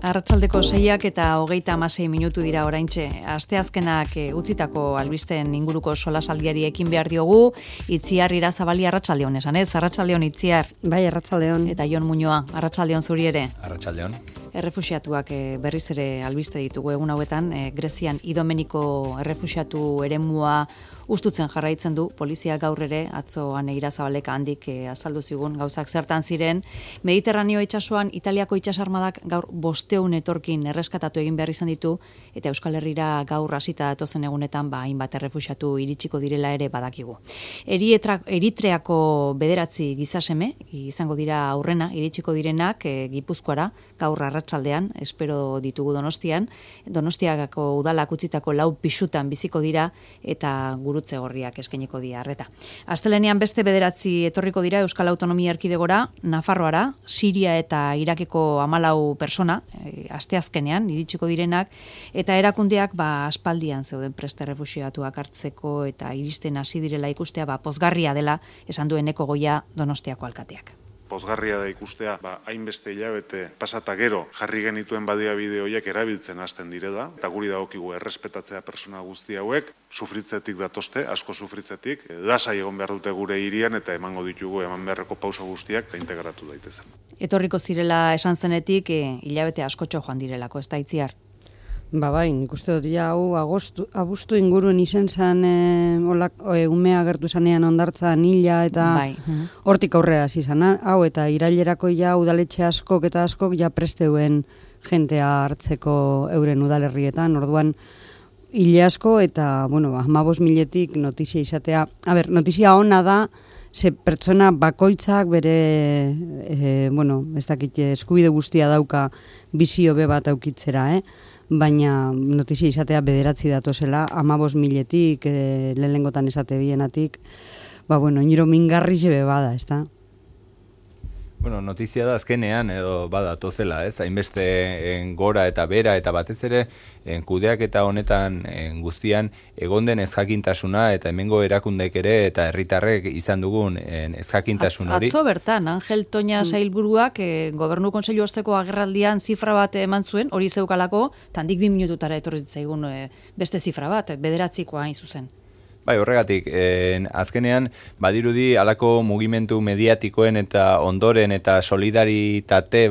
Arratsaldeko 6 eta 36 minutu dira oraintxe. Asteazkenak utzitako albisteen inguruko solasaldiari ekin behar diogu. Itziar Irazabali arratsaldeon esan ez? Arratsaldeon Itziar. Bai, arratsaldeon. Eta Jon Muñoa, arratsaldeon zuri ere. Arratsaldeon. Errefuxiatuak berriz ere albiste ditugu egun hauetan. Grezian Idomeniko errefuxiatu eremua ustutzen jarraitzen du. Polizia gaur ere atzoan Irazabalek handik azaldu zigun gauzak zertan ziren. Mediterraneo itsasoan Italiako itsasarmadak gaur 500 etorkin erreskatatu egin behar izan ditu, eta Euskal Herrira gaur hasita datozen egunetan hainbat errefuxiatu iritsiko direla ere badakigu. Eritreako 9 gizaseme izango dira aurrena iritsiko direnak Gipuzkoara gaur arratsaldean, espero ditugu Donostian. Donostiako udalak utzitako 4 pisutan biziko dira eta gurutze gorriak eskainiko dira arreta. Astelenean beste 9 etorriko dira Euskal Autonomia Erkidegora, Nafarroara, Siria eta Irakeko 14 persona, asteazkenean iritsiko direnak, eta erakundeak aspaldian zeuden preste errefuxiatuak hartzeko eta iristen hasi direla ikustea pozgarria dela esan duen Eko Goia Donostiako alkateak. Pozgarria da ikustea, hainbeste hilabete pasata gero jarri genituen baliabide horiek erabiltzen hasten direla, eta guri dagokigu errespetatzea persona guzti hauek, sufritzetik datozte, asko sufritzetik, lasai egon behar dute gure hirian eta emango ditugu eman beharreko pauso guztiak integratu daitezen. Etorriko zirela esan zenetik, hilabete askotxo joan direlako, ez da Itziar? Bai, nik uste dut hau abuztu inguruen izen zen umea agertu zanean ondartzan hila eta hortik aurrera zizan. Hau eta irailerako udaletxe askok eta askok presteuen jentea hartzeko euren udalerrietan. Orduan hile asko eta 15.000-etik notizia izatea. Notizia ona da, ze pertsona bakoitzak bere ez dakit eskubide guztia dauka bizio be bat aukitzera, baina notizia izatea 9 datozela, 15.000-etik, lehenengotan esate bienatik, niro mingarri zebe bada, ez da? Notizia da azkenean edo badatozela, ez? Hainbeste gora eta bera eta batez ere kudeak eta honetan guztian egon den ezjakintasuna eta hemengo erakundek ere eta herritarrek izan dugun ezjakintasun hori. Atzo bertan, Angel Toña sailburuak Gobernu Kontseilu osteko agerraldian zifra bat eman zuen, hori zeukalako, tandik 2 minututara etorri zitzaigun beste zifra bat, 9koa hain zuzen. Bai, horregatik, azkenean, badirudi halako mugimendu mediatikoen eta ondoren eta solidaritate,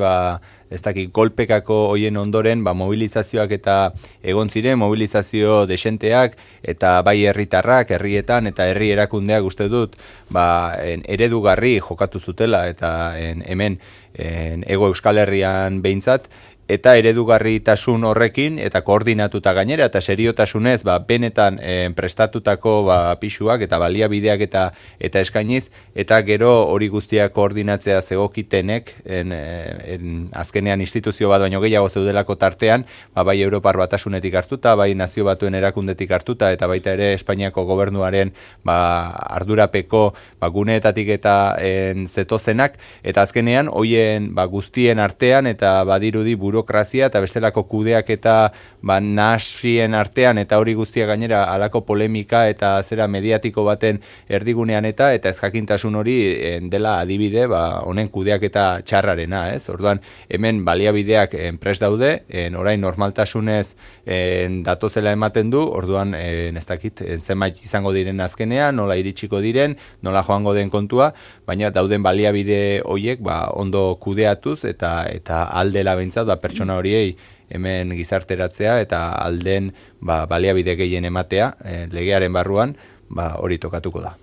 ez dakit, golpekako hoien ondoren, mobilizazioak eta egon ziren, mobilizazio desenteak, eta bai herritarrak, herrietan, eta herri erakundeak uste dut, eredugarri jokatu zutela, eta hemen, Hego Euskal Herrian behintzat, eta eredugarritasun horrekin eta koordinatuta gainera eta seriotasunez benetan prestatutako pisuak eta baliabideak eta eskainiz eta gero hori guztiak koordinatzea zegokitenek azkenean instituzio bat baino gehiago zeudelako tartean, bai Europar Batasunetik hartuta, bai Nazio Batuen erakundetik hartuta eta baita ere Espainiako gobernuaren ardurapeko guneetatik eta zetozenak eta azkenean hoien guztien artean eta badirudi burokrazia eta bestelako kudeak eta nahasien artean eta hori guztia gainera halako polemika eta zera mediatiko baten erdigunean eta ezjakintasun hori dela adibide honen kudeak eta txarrarena, ez? Orduan hemen baliabideak prest daude, orain normaltasunez datozela ematen du, orduan ez dakit zenbait izango diren azkenean, nola iritsiko diren, nola joango den kontua, baina dauden baliabide horiek ondo kudeatuz eta aldela behintzat pertsona horiei hemen gizarteratzea eta alden baliabide gehien ematea legearen barruan hori tokatuko da.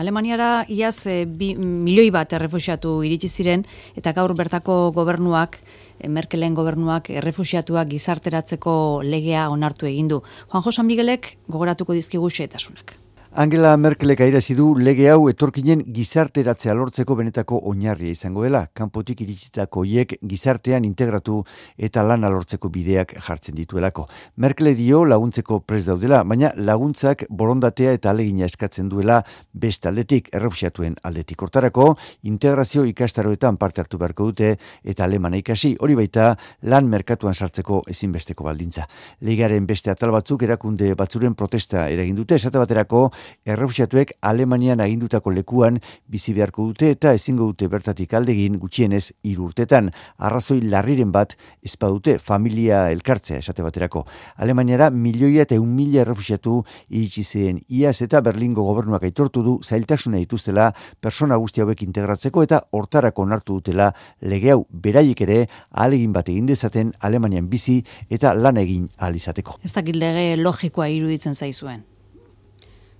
Alemaniara iaz 2 milioi bat errefuxiatu iritsi ziren eta gaur bertako gobernuak, Merkelen gobernuak errefuxiatuak gizarteratzeko legea onartu egin du. Juanjo San Miguelek gogoratuko dizkigu xehetasunak. Angela Merkelek adierazi du lege hau etorkinen gizarteratzea lortzeko benetako oinarria izango dela. Kanpotik iritsitako hiek gizartean integratu eta lana lortzeko bideak jartzen dituelako. Merkel dio laguntzeko prest daudela, baina laguntzak borondatea eta alegina eskatzen duela beste aldetik, errefuxiatuen aldetik. Hortarako, integrazio ikastaroetan parte hartu beharko dute eta alemana ikasi, hori baita lan merkatuan sartzeko ezinbesteko baldintza. Legearen beste atal batzuk erakunde batzuren protesta eragin dute, esate baterako errefuxiatuek Alemanian agindutako lekuan bizi beharko dute eta ezingo dute bertatik aldegin gutxienez 3 urtetan. Arrazoi larriren bat ezpadute familia elkartzea esate baterako. Alemaniara 1.100.000 errefuxiatu iritsi ziren iaz eta Berlingo gobernuak aitortu du zailtasuna dituztela persona guzti hauek integratzeko eta hortarako onartu dutela lege hau beraiek ere ahalegin bat egin dezaten Alemanian bizi eta lan egin ahal izateko. Ez dakit lege logikoa iruditzen zaizuen.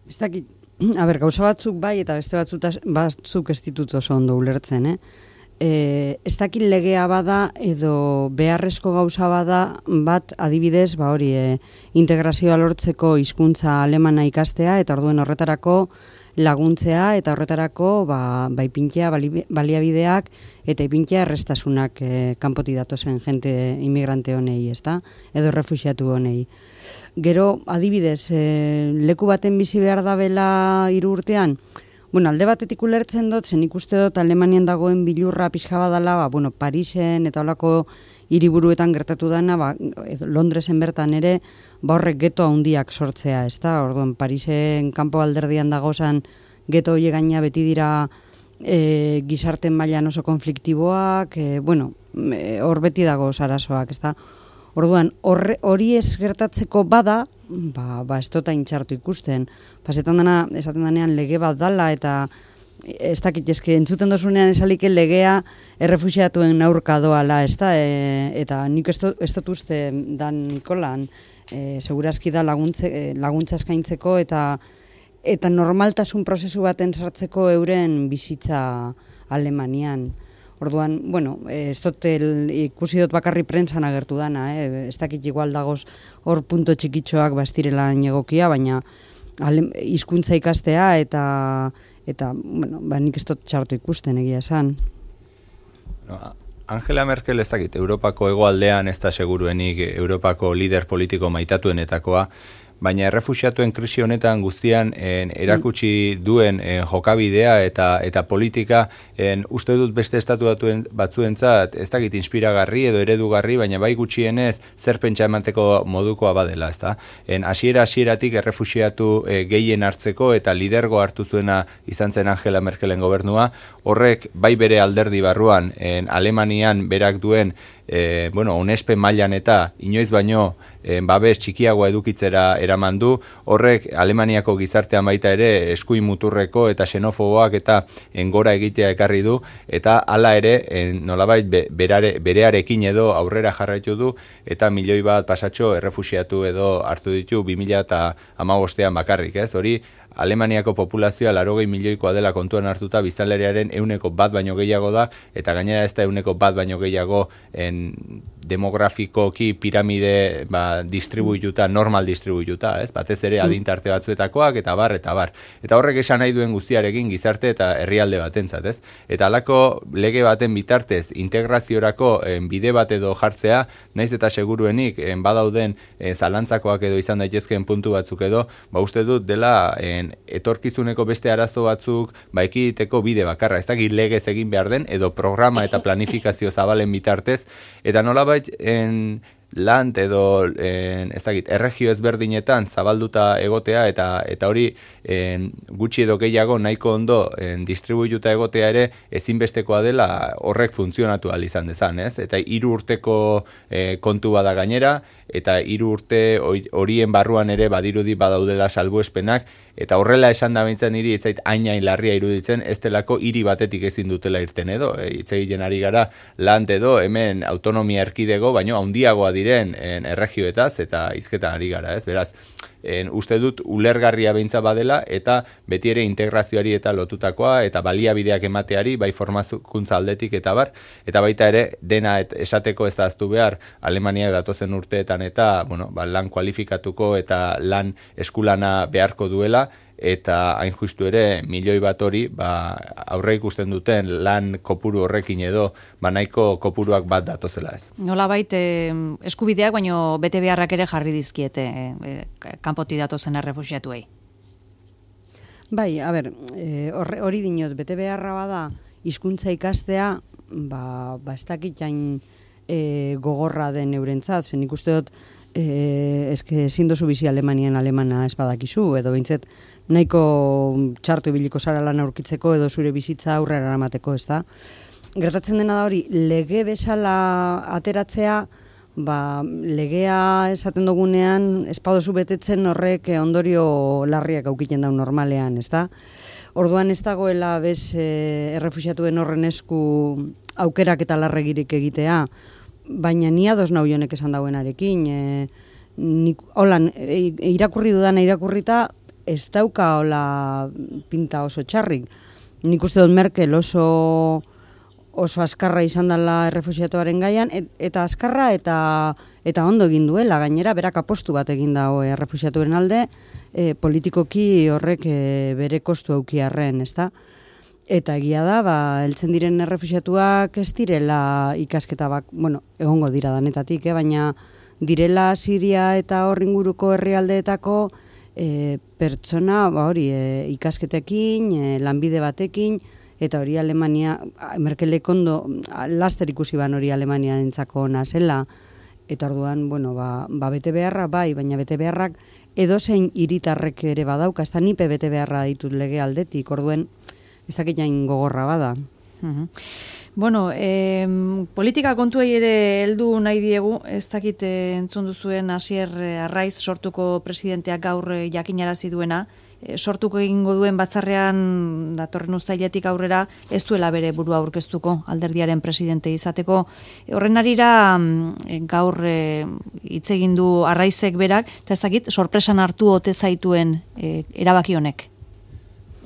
Ez dakit, gauza batzuk bai eta beste batzuk ez ditut oso ondo ulertzen, ez dakit legea bada edo beharrezko gauza bada bat adibidez, integrazioa lortzeko hizkuntza alemana ikastea eta orduen horretarako laguntzea eta horretarako ipintzea baliabideak eta ipintzea errestasunak kanpotik datozen jente inmigrante honei, ezta? Edo refuxiatu honei. Gero, adibidez, leku baten bizi behar dabela 3 urtean, alde batetik ulertzen dut, zen ikuste dut Alemanian dagoen bilurra pixka badala, Parisen eta holako hiriburuetan gertatu dana, Londresen bertan ere, horrek geto handiak sortzea, ezta? Orduan, Parisen kanpo alderdian dagozan geto horiek gaina beti dira gizarten mailan oso konfliktiboak, hor beti dago arazoak, ezta? Orduan, hori ez gertatzeko bada, ez dut intxartu ikusten. Esaten denean lege bat dala eta ez dakit, entzuten dozunean esalike legea errefuxiatuen aurka doala, ezta? Eta nik ez dut uste Dan Nikolan, segurazki da laguntza eskaintzeko eta normaltasun prozesu baten sartzeko euren bizitza Alemanian. Orduan, ez dut ikusi dut bakarri prentsan agertu dana, ez dakit igual dagoz hor punto txikitxoak bastirela egokia, baina hizkuntza ikastea eta nik ez dut txartu ikusten egia esan. Angela Merkel ez dakit, Europako hegoaldean ez da seguruenik Europako lider politiko maitatuenetakoa, baina errefuxiatuen krisi honetan guztian erakutsi duen jokabidea eta politika uste dut beste estatu batzuentzat ez dakit inspiragarri edo eredugarri, baina bai gutxienez zer pentsa emateko modukoa badela, ezta? Hasieratik errefuxiatu gehien hartzeko eta lidergo hartu zuena izan zen Angela Merkelen gobernua, horrek bai bere alderdi barruan Alemanian berak duen onespen mailan eta inoiz baino babes txikiagoa edukitzera eraman du, horrek Alemaniako gizartean baita ere eskuin muturreko eta xenofoboak eta gora egitea ekarri du, eta hala ere nolabait berearekin edo aurrera jarraitu du, eta 1 milioi bat pasatxo errefuxiatu edo hartu ditu 2015an bakarrik, ez? Hori Alemaniako populazioa 80 milioikoa dela kontuan hartuta biztanleriaren 1% baino gehiago da, eta gainera ez da 1% baino gehiago demografikoki piramide distribuituta, normal distribuituta, ez? Batez ere adintarte batzuetakoak eta bar. Eta horrek esan nahi duen guztiarekin gizarte eta herrialde batentzat, ez? Eta halako lege baten bitartez integraziorako bide bat edo jartzea, naiz eta seguruenik badauden zalantzakoak edo izan daitezkeen puntu batzuk edo, uste dut dela etorkizuneko beste arazo batzuk ekiditeko bide bakarra, ez dakit legez egin behar den edo programa eta planifikazio zabalen bitartez, eta nolabait land edo erregio ezberdinetan zabalduta egotea eta hori gutxi edo gehiago nahiko ondo distribuituta egotea ere ezinbestekoa dela horrek funtzionatu ahal izan dezan, ez? Eta 3 urteko kontu bada gainera, eta 3 urte horien barruan ere badirudi badaudela salbuespenak, eta horrela esan da bintzen hiri etzait hain larria iruditzen, ez delako hiri batetik ezin dutela irten edo, hitz egiten ari gara land edo hemen autonomia erkidego, baino handiagoa diren erregioetaz eta hizketan ari gara, ez? Beraz, uste dut ulergarria beintza badela eta beti ere integrazioari eta lotutakoa eta baliabideak emateari, bai formakuntza aldetik eta bar, eta baita ere dena esateko ez da ahaztu behar Alemaniak datozen urteetan eta lan kualifikatuko eta lan eskulana beharko duela, eta hain justu ere 1 milioi bat hori aurre ikusten duten lan kopuru horrekin edo nahiko kopuruak bat datozela, ez. Nolabait eskubideak baino bete beharrak ere jarri dizkiete kanpotik datozen errefuxiatuei. Bai, hori dinot, bete beharra bada hizkuntza ikastea, ez dakit hain gogorra den eurentzat, zen ikuste dut ezin dozu bizi alemana ez badakizu, edo behintzet nahiko txartu ibiliko zara lan aurkitzeko edo zure bizitza aurrera eramateko, ez da? Gertatzen dena da hori, lege bezala ateratzea, legea esaten dugunean, ez padozu betetzen horrek ondorio larriak aukiten daun normalean, ez da? Orduan ez dagoela errefuxiatuen horren esku aukerak eta larregirik egitea, baina ni ados nau jonek esan dauenarekin. Irakurri dudana irakurrita, ez dauka hola pinta oso txarrik. Nik uste dut Merkel oso askarra izan dela errefuxiatuaren gaian, eta askarra eta ondo egin duela, gainera berak apostu bat egin dago errefuxiatuen alde, politikoki horrek bere kostu aukiarren, ezta? Eta egia da, heltzen diren errefuxiatuak ez direla ikasketa egongo dira danetatik, baina direla Siria eta hor inguruko herrialdeetako pertsona ikasketekin, lanbide batekin, eta hori Alemania, Merkelek ondo laster ikusi ban hori Alemania entzako ona zela, eta orduan, bete beharra baina bete beharrak edozein hiritarrek ere badauka, ez da nipe bete beharra ditut lege aldetik, orduen ez dakit jain gogorra bada. Politika kontuei ere heldu nahi diegu, ez dakit entzun duzuen Asier Arraiz sortuko presidenteak gaur jakinarazi duena, sortuko egingo duen batzarrean datorren uztailetik aurrera ez duela bere burua aurkeztuko alderdiaren presidente izateko. Horren arira gaur hitz egin du Arraizek berak, eta ez dakit sorpresan hartu ote zaituen erabaki honek.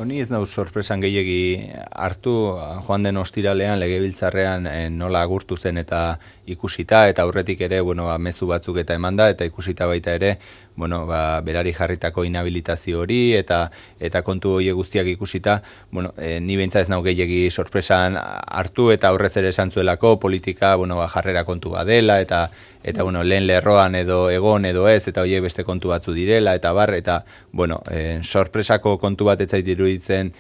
Honi ez nau sorpresan gehiegi hartu, joan den ostiralean legebiltzarrean nola agurtu zen eta ikusita, eta aurretik ere mezu batzuk eta emanda, eta ikusita baita ere berari jarritako inhabilitazio hori eta kontu hori guztiak ikusita, ni beintza ez nau gehiegi sorpresan hartu, eta horrez ere esan zuelako politika jarrera kontu badela, eta lehen lerroan edo egon edo ez, eta horiek beste kontu batzu direla, eta sorpresako kontu bat etzait iruditzen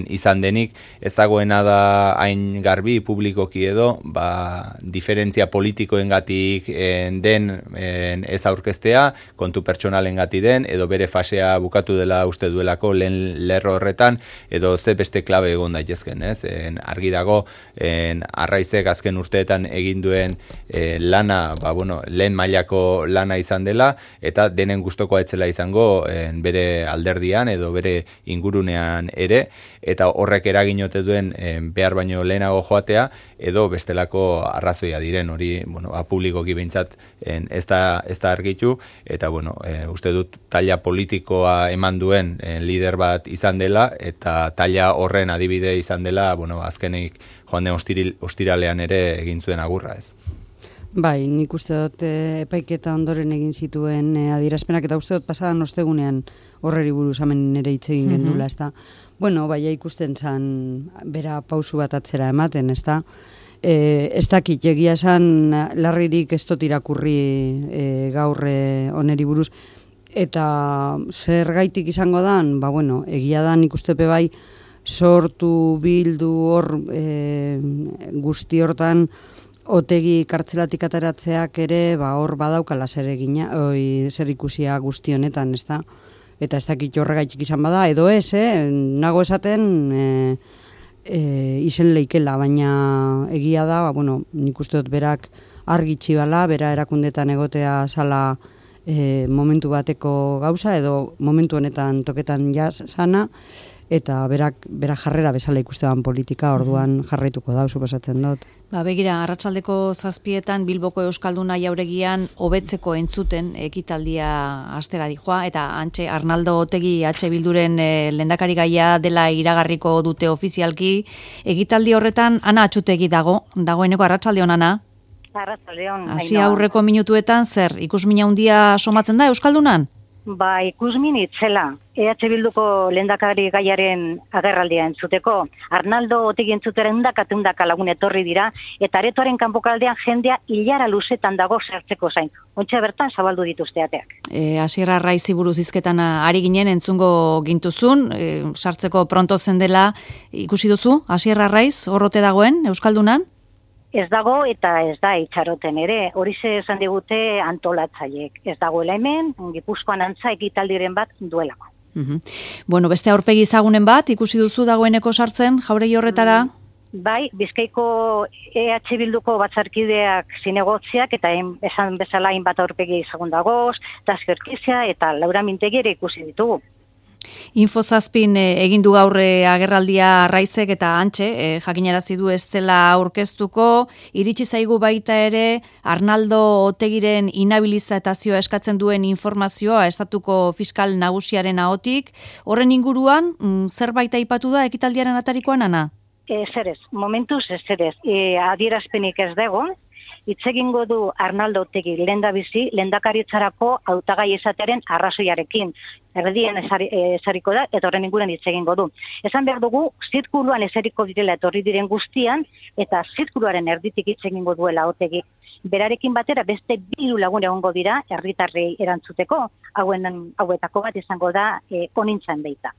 izan denik, ez dagoena da hain garbi publikoki edo, diferentzia politikoengatik den ez aurkeztea, kontu pertsonalengati den, edo bere fasea bukatu dela uste duelako lehen lerro horretan, edo ze beste klabe egon daitezken, ez? Argi dago, Arraizek azken urteetan egin duen lana, lehen mailako lana izan dela, eta denen gustokoa etzela izango bere alderdian edo bere ingurunean ere, eta horrek eraginote duen behar baino lehenago joatea, edo bestelako arrazoia diren, hori publikoki behintzat ez da argitu, eta uste dut taila politikoa eman duen lider bat izan dela, eta taila horren adibide izan dela, azkenik joan den ostiralean ere egin zuen agurra, ez. Bai, nik uste dut epaiketa ondoren egin zituen adierazpenak, eta uste dut pasadan ostegunean horreri buruz hemen ere hitz egin gendula, ez da. Ikusten zan bera pausu bat atzera ematen, ez da. Ez dakit, egia esan larririk ez dut irakurri gaur oneri buruz, eta zer gaitik izango dan, egia da nik ustepe bai sortu bildu hor guzti hortan Otegi kartzelatik ateratzeak ere hor badaukala zer ikusia guzti honetan, ez da? Eta ez dakit horregaitik izan bada, edo ez, nago esaten izen leikela, baina egia da, nik uste dut berak argitxi bala, bera erakundetan egotea zala momentu bateko gauza, edo momentu honetan toketan jasana, eta berak jarrera bezala ikustean politika, orduan jarraituko da, suposatzen dut. Begira, arratsaldeko 7:00 Bilboko Euskalduna Jauregian hobetzeko entzuten ekitaldia astera dijoa, eta antxe Arnaldo Otegi Bilduren lehendakari gaia dela iragarriko dute ofizialki. Ekitaldi horretan Ana Atxutegi dagoeneko. Arratsaldeon, Ana. Arratsaldeon. Hasi aurreko minutuetan zer ikusmina handia somatzen da Euskaldunan? Ikusmin itzela. Bilduko lehendakari gaiaren agerraldia entzuteko. Arnaldo Otegi entzutera undaka lagun etorri dira, eta aretoaren kanpokaldean jendea hilara luzetan dago sartzeko zain. Ontxe bertan zabaldu dituzte ateak. Asier Arraizi buruz hizketan ari ginen entzungo gintuzun, sartzeko pronto zen dela ikusi duzu, Asier Arraiz horrote dagoen Euskaldunan? Ez dago eta ez da itxaroten ere, hori esan digute antolatzaileek. Ez dagoela hemen, Gipuzkoan antza ekitaldiren bat duelako. Bueno, beste aurpegi ezagunen bat, ikusi duzu dagoeneko sartzen, jauregi horretara? Bai, Bizkaiko EH Bilduko batzarkideak zinegotziak eta esan bezala hainbat aurpegi ezagun dagoz, Taskerkizia eta Laura Mintegi ere ikusi ditugu. Infozazpin egin du gaur agerraldia Raizek eta Antxe, jakinarazi du ez dela aurkeztuko, iritsi zaigu baita ere Arnaldo Otegiren inhabilitazioa eskatzen duen informazioa estatuko fiskal nagusiaren ahotik. Horren inguruan, zerbait aipatu da ekitaldiaren atarikoan, Ana? Zerez, momentuz zerez, adierazpenik ez dago, hitz egingo du Arnaldo Otegi lehendabizi, lehendakaritzarako hautagai esateren arrazoiarekin. Erdien esariko da, eta horren inguruan hitz egingo du. Esan behar dugu, zirkuluan esariko direla etorri diren guztian, eta zirkuluaren erditik hitz egingo duela Otegi. Berarekin batera beste 2 lagun egongo dira herritarrei erantzuteko, hauetako bat izango da onintzan beita.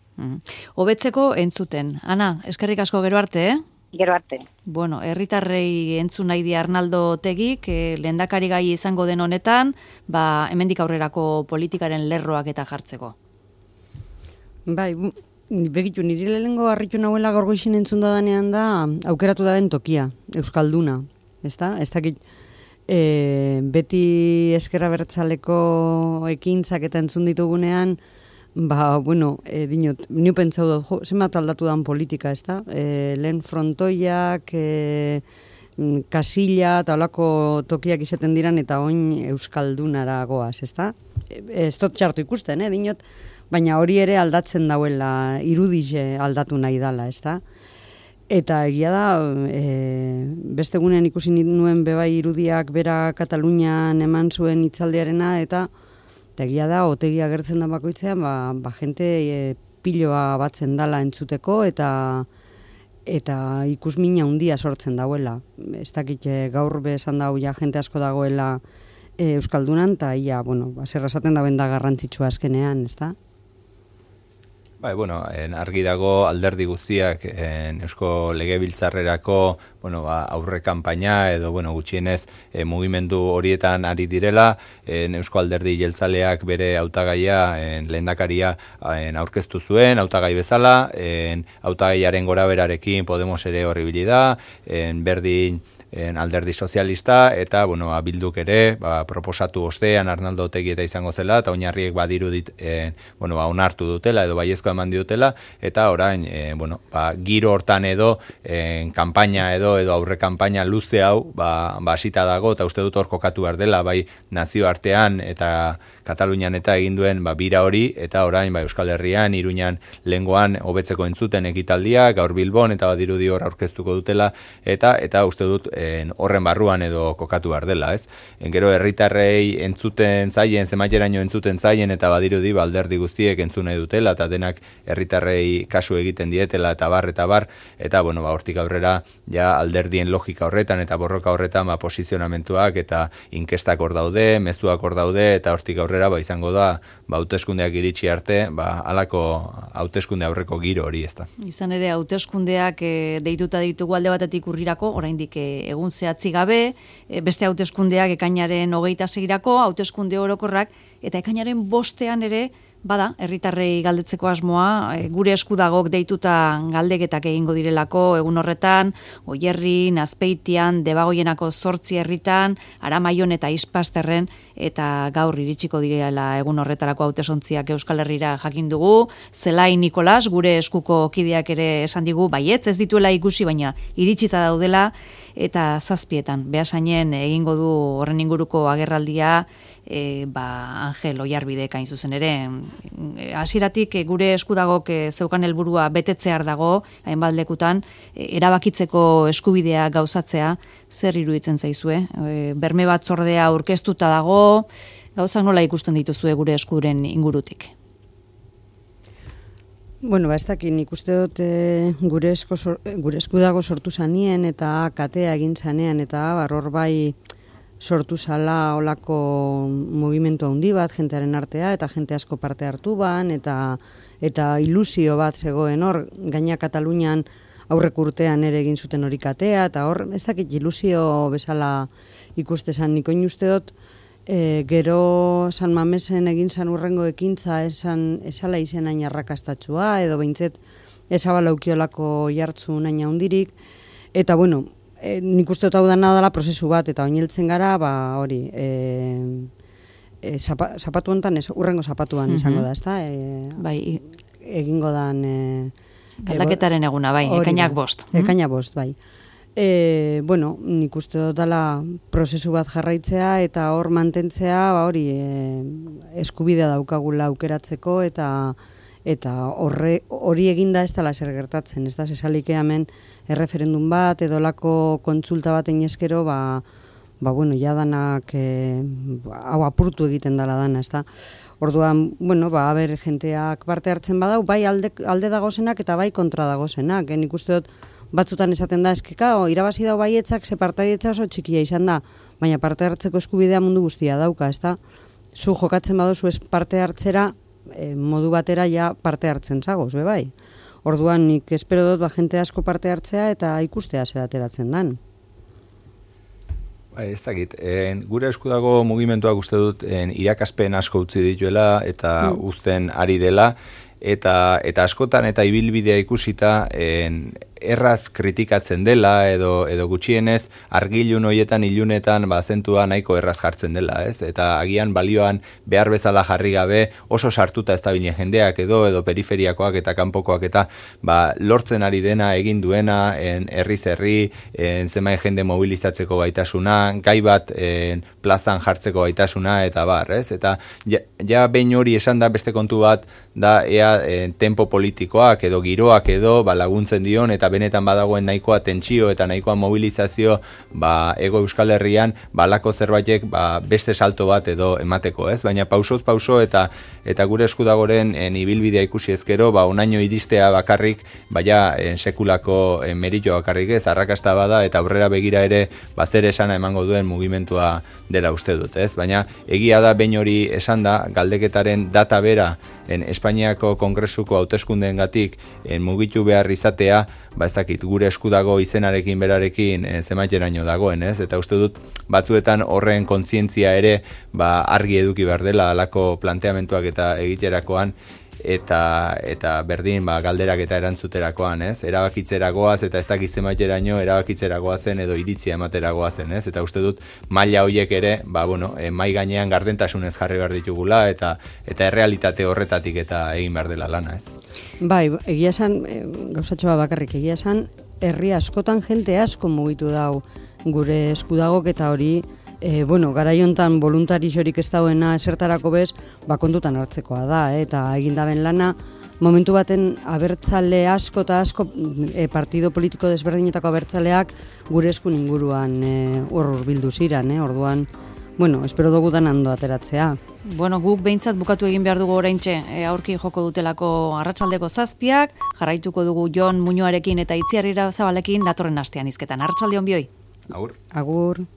Hobetzeko entzuten. Ana, eskerrik asko gero arte, Gero arte. Bueno, herritarrei entzun nahi di Arnaldo Otegik, lehendakari gai izango den honetan, hemendik aurrerako politikaren lerroak eta jartzeko. Bai, begitu, niri lehenengo harritu nahuela gaur goizin entzun dadanean da, aukeratu da ben tokia, Euskalduna, ezta? Ez dakit, beti ezker abertzaleko ekintzak eta entzun ditugunean, bueno, dinot, niu pentsau dut, zenbat aldatu dan politika, ez da? Lehen frontoiak, kasilla eta olako tokiak izaten diran eta oin Euskaldunara goaz, ez da? Ez dut txartu ikusten, dinot, baina hori ere aldatzen dauela, irudize aldatu nahi dala, ez da? Eta egia da, beste gunean ikusi nuen bebai irudiak bera Katalunian eman zuen hitzaldiarena, eta egia da, Otegi agertzen da bakoitzean, jente piloa batzen dala entzuteko eta ikusmina handia sortzen dauela. Ez dakit gaur besan dau ja jente asko dagoela Euskaldunan, eta ia, zer esaten da benda garrantzitsua azkenean, ez da? Bueno, argi dago alderdi guztiak Eusko Legebiltzarrerako aurre kanpaina edo gutxienez mugimendu horietan ari direla, Eusko Alderdi Jeltzaleak bere hautagaia lehendakaria aurkeztu zuen, hautagai bezala, hautagaiaren goraberarekin Podemos ere horribili da, berdin alderdi sozialista, eta Bilduk ere proposatu ostean Arnaldo Otegi eta izango zela, eta oinarriek badirudit onartu dutela edo baiezkoa eman dutela, eta orain giro hortan edo kanpaina edo aurre kanpaina luze hau hasita dago, eta uste dut hor kokatu behar dela, bai nazioartean eta Katalunian eta egin duen bira hori, eta orain Euskal Herrian, Iruñan lengoan hobetzeko entzuten ekitaldia, gaur Bilbon, eta badirudi hor aurkeztuko dutela, eta uste dut horren barruan edo kokatu behar dela, ez? Gero herritarrei entzuten zaien, zenbateraino entzuten zaien, eta badirudi alderdi guztiek entzun nahi dutela, eta denak herritarrei kasu egiten dietela, eta bar, eta hortik aurrera, ja alderdien logika horretan, eta borroka horretan posizionamentuak, eta inkestak hor daude, mezuak hor daude, eta hortik aurrera izango da, hauteskundeak iritsi arte, halako hauteskunde aurreko giro hori, ez da. Izan ere, hauteskundeak deituta ditugu alde batetik urrirako, oraindik egun zehatzi gabe, beste hauteskundeak ekainaren 26irako, hauteskunde orokorrak, eta ekainaren 5ean ere, bada, herritarrei galdetzeko asmoa, gure eskudagok deituta galdeketak egingo direlako, egun horretan, Oierrin, Azpeitian, Debagoienako 8 herritan, Aramaion eta Ispasterren, eta gaur iritsiko direla egun horretarako hautesontziak Euskal Herrira jakin dugu. Zelai Nikolas, gure eskuko kideak ere esan digu, baietz ez dituela ikusi, baina iritsita daudela, eta 7etan, behasainen egingo du horren inguruko agerraldia, Angel Oiarbidek hain zuzen ere. Hasieratik gure eskudagok zeukan helburua betetzear dago, hainbat lekutan, erabakitzeko eskubidea gauzatzea, zer iruditzen zaizue? Berme batzordea aurkeztuta dago, gauzak nola ikusten dituzue gure eskuren ingurutik? Ez dakit, nik uste dut gure eskudago sortu zanien eta katea egin zanean, eta hor bai sortu zala olako mugimendu handi bat, jentearen artea, eta jente asko parte hartu ban, eta ilusio bat zegoen hor, gaina Katalunian aurrek urtean ere egin zuten hori katea, eta hor, ez dakit ilusio bezala ikustezan, niko uste dut, gero San Mamesen egin zan urrengo ekintza esala izen hain arrakastatxua, edo behintzet ezabalaukiolako jartzu naina hundirik, eta bueno, nik uste dut hau dela prozesu bat, eta oineltzen gara, hori, zapatu honetan, urrengo zapatuan izango da, ezta? Bai, egingo dan... aldaketaren eguna, bai, ekainak 5. Ekainak 5, bai. Bueno, nik uste dut dela prozesu bat jarraitzea eta hor mantentzea, hori eskubidea daukagula aukeratzeko eta hori eginda ez dela zer gertatzen, ez da, zesalik hemen erreferendum bat edo lako kontsulta baten eskero, bueno, jadanak hau apurtu egiten dela dana, ez da. Orduan, bueno, haber jenteak parte hartzen badau, bai alde dagozenak eta bai kontra dagozenak. Nik uste dut batzutan esaten da, eskeka, irabazi dau baietzak, ze partaidetza oso txikia izan da, baina parte hartzeko eskubidea mundu guztia dauka, ez da. Zu jokatzen baduzu ez parte hartzera, modu batera ja parte hartzen zagoz, bai. Orduan, nik espero dut jente asko parte hartzea eta ikustea zer ateratzen dan. Ez dakit, gure esku dago mugimenduak uste dut irakaspen asko utzi dituela eta uzten ari dela, eta askotan eta ibilbidea ikusita erraz kritikatzen dela edo gutxienez argilun hoietan ilunetan zentua nahiko erraz jartzen dela, ez? Eta agian balioan behar bezala jarri gabe oso sartuta ez da bine jendeak edo periferiakoak eta kanpokoak eta lortzen ari dena egin duena herriz herri, zenbait jende mobilizatzeko gaitasuna, gai bat plazan jartzeko gaitasuna eta bar, ez? Eta ja behin hori esan da beste kontu bat da ea tempo politikoak edo giroak edo laguntzen dion eta benetan badagoen nahikoa tentsio eta nahikoa mobilizazio ego Euskal Herrian balako zerbaitek beste salto bat edo emateko, ez? Baina pausoz pauso eta gure eskudagoren ibilbidea ikusi ezkero, onaino iristea bakarrik, sekulako merito bakarrik ez, arrakasta bada eta aurrera begira ere zer esana emango duen mugimentua dela uste dut, ez? Baina egia da behin hori esan da, galdeketaren data bera Espainiako Kongresuko hauteskundeengatik mugitu behar izatea, ez dakit, gure eskudago izenarekin berarekin zemaiteraino dagoen, ez? Eta uste dut batzuetan horren kontzientzia ere argi eduki behar dela alako planteamentuak eta egiterakoan eta berdin galderak eta erantzuterakoan, ez? Erabakitzera goaz eta ez dakit zemaiteraino erabakitzera goazen edo iritzia ematera goazen, ez? Eta uste dut maila horiek ere, mai gainean gardentasunez jarri behar ditugula eta errealitate horretatik eta egin behar dela lana, ez? Bai, egia esan, gauzatxoa bakarrik egia esan, herri askotan jente asko mugitu dau gure eskudagok eta hori garaiontan voluntarixorik ez dauena esertarako bez, kontutan hartzekoa da, eta egindaben lana, momentu baten abertzale asko eta asko partido politiko desberdinetako abertzaleak gure eskun inguruan hurbildu ziran, orduan, espero dugu dan ondo ateratzea. Guk behintzat bukatu egin behar dugu oraintxe, aurki joko dutelako arratsaldeko 7, jarraituko dugu Jon Muñoarekin eta Itziar Irabazabalekin datorren astean hizketan. Arratsalde on bioi. Agur. Agur.